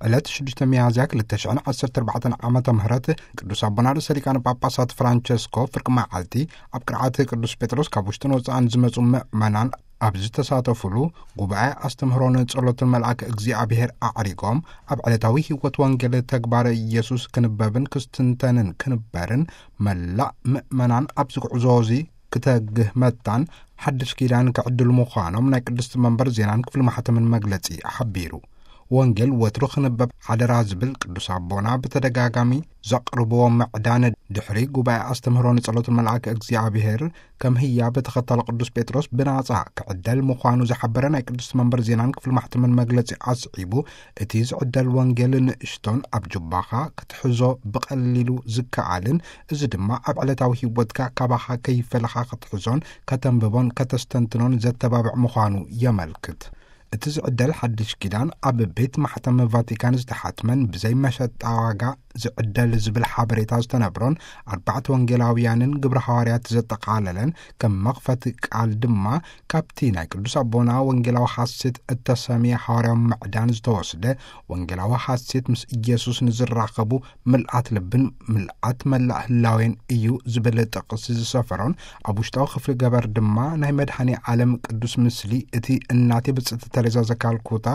ዕለት ሽዱሽተ ሚያዝያ ክልተ ሽሕን ዓሰርተ ኣርባዕተን ዓመተ ምህረት ቅዱስ ኣቦና ርእሰ ሊቃነ ጳጳሳት ፍራንቸስኮ ፍርቂ መዓልቲ ኣብ ቅርዓት ቅዱስ ጴጥሮስ ካብ ውሽጥን ወጻእን ዝመጹ ምእመናን ኣብ ዝተሳተፉሉ ጉባኤ ኣስተምህሮን ጸሎትን መልኣክ እግዚኣብሔር ኣዕሪጎም፣ ኣብ ዕለታዊ ሕይወት ወንጌል ተግባር ኢየሱስ ክንበብን ክስትንተንን ክንበርን መላእ ምእመናን ኣብዚ ጉዕዞ እዚ ክተግህ መታን ሓድሽ ኪዳን ክዕድል ምዃኖም ናይ ቅድስቲ መንበር ዜናን ክፍሊ ማሕተምን መግለጺ ሓቢሩ። ወንጌል ወትሩ ክንበብ ሓደራ ዝብል ቅዱስ ኣቦና ብተደጋጋሚ ዘቕርብዎ ምዕዳን ድሕሪ ጉባኤ ኣስተምህሮ ንጸሎት መልኣክ እግዚኣብሔር ከም ህያብ ተኸታሊ ቅዱስ ጴጥሮስ ብናጻ ክዕደል ምዃኑ ዝሓበረ ናይ ቅድስቲ መንበር ዜናን ክፍሊ ማሕተምን መግለጺ ኣስዒቡ፣ እቲ ዝዕደል ወንጌል ንእሽቶን ኣብ ጁባኻ ክትሕዞ ብቐሊሉ ዝከኣልን፣ እዚ ድማ ኣብ ዕለታዊ ህይወትካ ካባኻ ከይፈለኻ ክትሕዞን ከተንብቦን ከተስተንትኖን ዘተባብዕ ምዃኑ የመልክት። እቲ ዝዕደል ሓድሽ ኪዳን ኣብ ቤት ማሕተም ቫቲካን ዝተሓትመን ብዘይ መሸጣ ዋጋ ዝዕደል ዝብል ሓበሬታ ዝተነብሮን ኣርባዕተ ወንጌላውያንን ግብረ ሃዋርያት ዘጠቓለለን፣ ከም መኽፈቲ ቃል ድማ ካብቲ ናይ ቅዱስ ኣቦና ወንጌላዊ ሓሴት እተሰምየ ሃዋርያዊ ምዕዳን ዝተወስደ፣ ወንጌላዊ ሓሴት ምስ ኢየሱስ ንዝራኸቡ ምልኣት ልብን ምልኣት መላእ ህላዌን እዩ ዝብል ጥቕሲ ዝሰፈሮን፣ ኣብ ውሽጣዊ ክፍሊ ገበር ድማ ናይ መድኃኔ ዓለም ቅዱስ ምስሊ እቲ እናቴ ብጽእቲ ተሬዛ ዘካልኩታ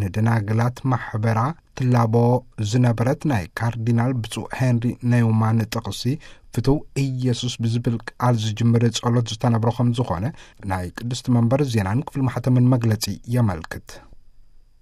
ንደናግላት ማሕበራ ትላቦ ዝነበረት ናይ ካርዲናል ብፁዕ ሄንሪ ኔውማን ጥቕሲ ፍትው ኢየሱስ ብዝብል ቃል ዝጅምር ጸሎት ዝተነብሮ ከም ዝኾነ ናይ ቅድስቲ መንበር ዜናን ክፍሊ ማሕተምን መግለጺ የመልክት።